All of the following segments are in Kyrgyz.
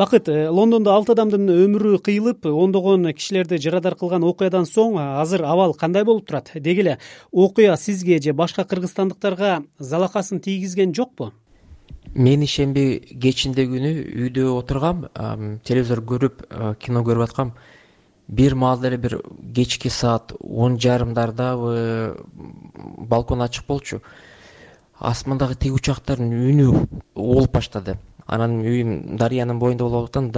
Бакыт, Лондондо 6 адамдын өмүрү кыйылып, ондогон кишилерди жарадар кылган окуядан соң азыр абал кандай болуп турат? Деги эле окуя сизге же башка кыргызстандыктарга залакасын тийгизген жокпу? Мен ишемби кечинде күнү үйдө отургам, телевизор көрүп, кино көрүп аткам. Бир маалда эле бир кечки саат 10:30дардабы балкон ачык болчу. Асмандагы тиги учактардын үнү угулуп баштады. Анан үйүм дарыянын боюнда болуп атам.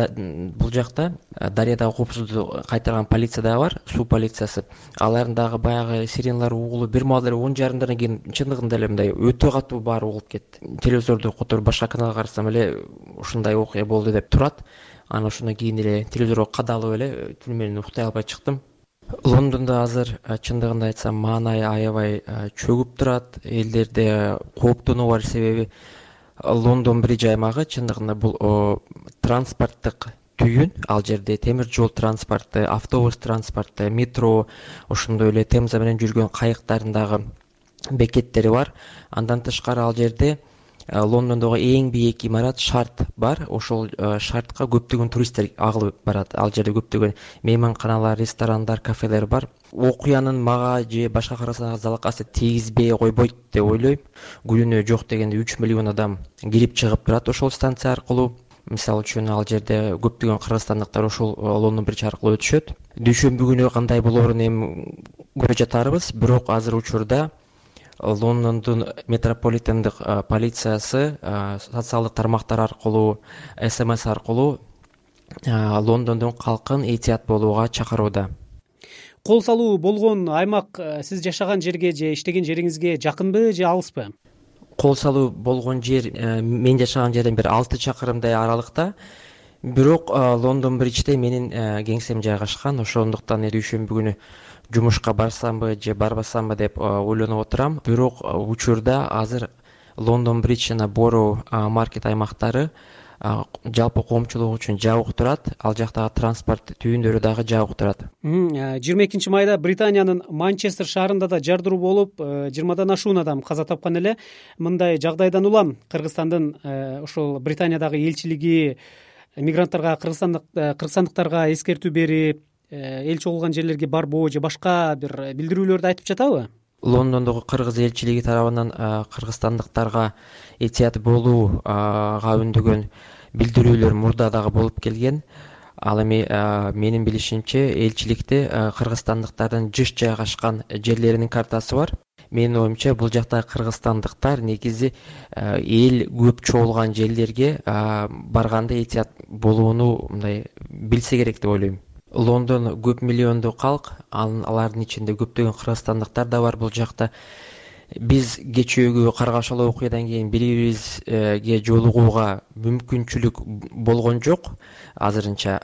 Бул жакта дарыядагы коопсуздукту кайтарган полиция дагы бар, суу полициясы. Алардын дагы баягы сиреналары угулуп, бир маалда эле 10:30дардан кийин чындыгында эле мындай өтө катуу баары угулуп кетти. Телевизорду которуп башка каналга карасам эле ушундай окуя болду деп турат. Анан ошондон кийин эле телевизорго кадалып эле түнү менен уктай албай чыктым. Лондондо азыр чындыгында айтсам маанай аябай чөгүп турат. Элдерде кооптонуу бар, себеби Лондон Бридж аймагы чындыгында бул транспорттук түйүн. Ал жерде темир жол транспорту, автобус транспорту, метро, ошондой эле Темза менен жүргөн кайыктардын дагы бекеттери бар. Андан тышкары ал жерде Лондондогу эң бийик имарат Шарт бар. Ошол Шартка көптөгөн туристтер агылып барат. Ал жерде көптөгөн мейманканалар, ресторандар, кафелер бар. Окуянын мага же башка кыргызстанга залакасы тийгизбей койбойт деп ойлойм. Күнүнө жок дегенде 3 миллион адам кирип чыгып турат ошол станция аркылуу. Мисалы үчүн ал жерде көптөгөн кыргызстандыктар ошол Лондон Бридж аркылуу өтүшөт. Дүйшөмбү күнү кандай болоорун эми көрө жатарбыз. Бирок азыр учурда Лондондун метрополитендик полициясы социалдык тармактар аркылуу, СМС аркылуу Лондондун калкын этият болууга чакырууда. Кол салуу болгон аймак сиз жашаган жерге же иштеген жериңизге жакынбы же алыспы? Кол салуу болгон жер мен жашаган жерден бир 6 чакырымдай аралыкта. Бирок Лондон Бриджде менин кеңсем жайгашкан. Ошондуктан дүйшөмбү күнү жумушка барсамбы же барбасамбы деп ойлонуп отурам. Бирок учурда азыр Лондон Бридж жана Бороу маркет аймактары жалпы коомчулук үчүн жабык турат. Ал жактагы транспорт түйүндөрү дагы жабык турат. 22 майда Британиянын Манчестер шаарында да жардыруу болуп, 20дан ашуун адам каза тапкан эле. Мындай жагдайдан улам Кыргызстандын ошол Британиядагы элчилиги мигранттарга, кыргызстандыктарга эскертүү берип, эл чогулган жерлерге барбоо же башка бир билдирүүлөрдү айтып жатабы? Лондондогу кыргыз элчилиги тарабынан кыргызстандыктарга этият болууга үндөгөн билдирүүлөр мурда дагы болуп келген. Ал эми менин билишимче элчиликте кыргызстандыктардын жыш жайгашкан жерлеринин картасы бар. Менин оюмча бул жактагы кыргызстандыктар негизи эл көп чогулган жерлерге барганда этият болууну мындай билсе керек деп ойлойм. Лондон көп миллиондуу калк, алардын ичинде көптөгөн кыргызстандыктар да бар бул жакта. Биз кечээкү каргашалуу окуядан кийин бири-бирибизге жолугууга мүмкүнчүлүк болгон жок. Азырынча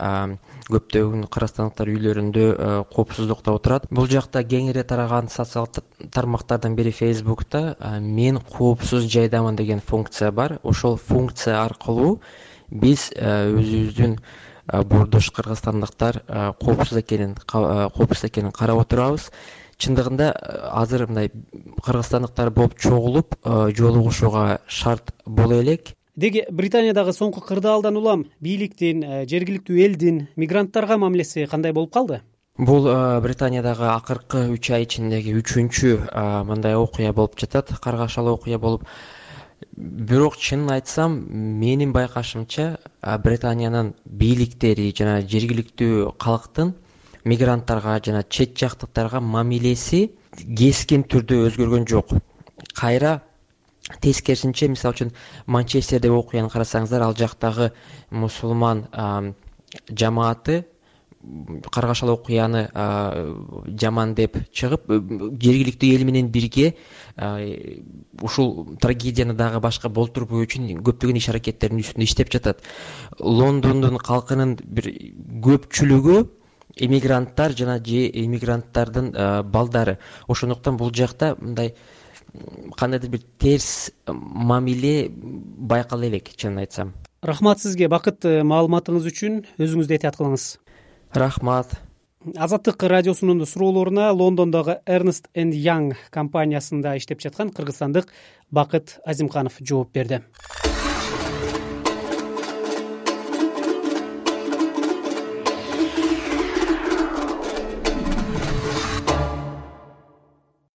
көптөгөн кыргызстандыктар үйлөрүндө коопсуздукта отурат. Бул жакта кеңири тараган социалдык тармактардан бири Facebook'та мен коопсуз жайдамын деген функция бар. Ошол функция аркылуу биз өзүбүздүн бурдуш кыргызстандыктар коопсуз экенин карап отурабыз. Чындыгында азыр мындай кыргызстандыктар болуп чогулуп жолугушууга шарт боло элек. Деги Британиядагы соңку кырдаалдан улам бийликтин, жергиликтүү элдин мигранттарга мамилеси кандай болуп калды? Бул Британиядагы акыркы 3 ай ичиндеги 3-чү мындай окуя болуп жатат, каргашалуу окуя болуп. Бирок чынын айтсам, менин байкашымча Британиянын бийликтери жана жергиликтүү калктын мигранттарга жана чет жактыктарга мамилеси кескин түрдө өзгөргөн жок. Кайра тескерисинче, мисалы үчүн Манчестердеги окуяны карасаңыздар, ал жактагы мусулман жамааты каргашалуу окуяны жаман деп чыгып, жергиликтүү эл менен бирге ушул трагедияны дагы башка болтурбоо үчүн көптөгөн иш-аракеттердин үстүндө иштеп жатат. Лондондун калкынын бир көпчүлүгү эмигранттар жана эмигранттардын балдары. Ошондуктан бул жакта мындай кандайдыр бир терс мамиле байкала элек, чынын айтсам. Рахмат сизге Бакыт, маалыматыңыз үчүн. Өзүңүздү этият кылыңыз. Рахмат. Азаттык радиосунун суроолоруна Лондондогу Ernst & Young компаниясында иштеп жаткан кыргызстандык Бакыт Азимканов жооп берди.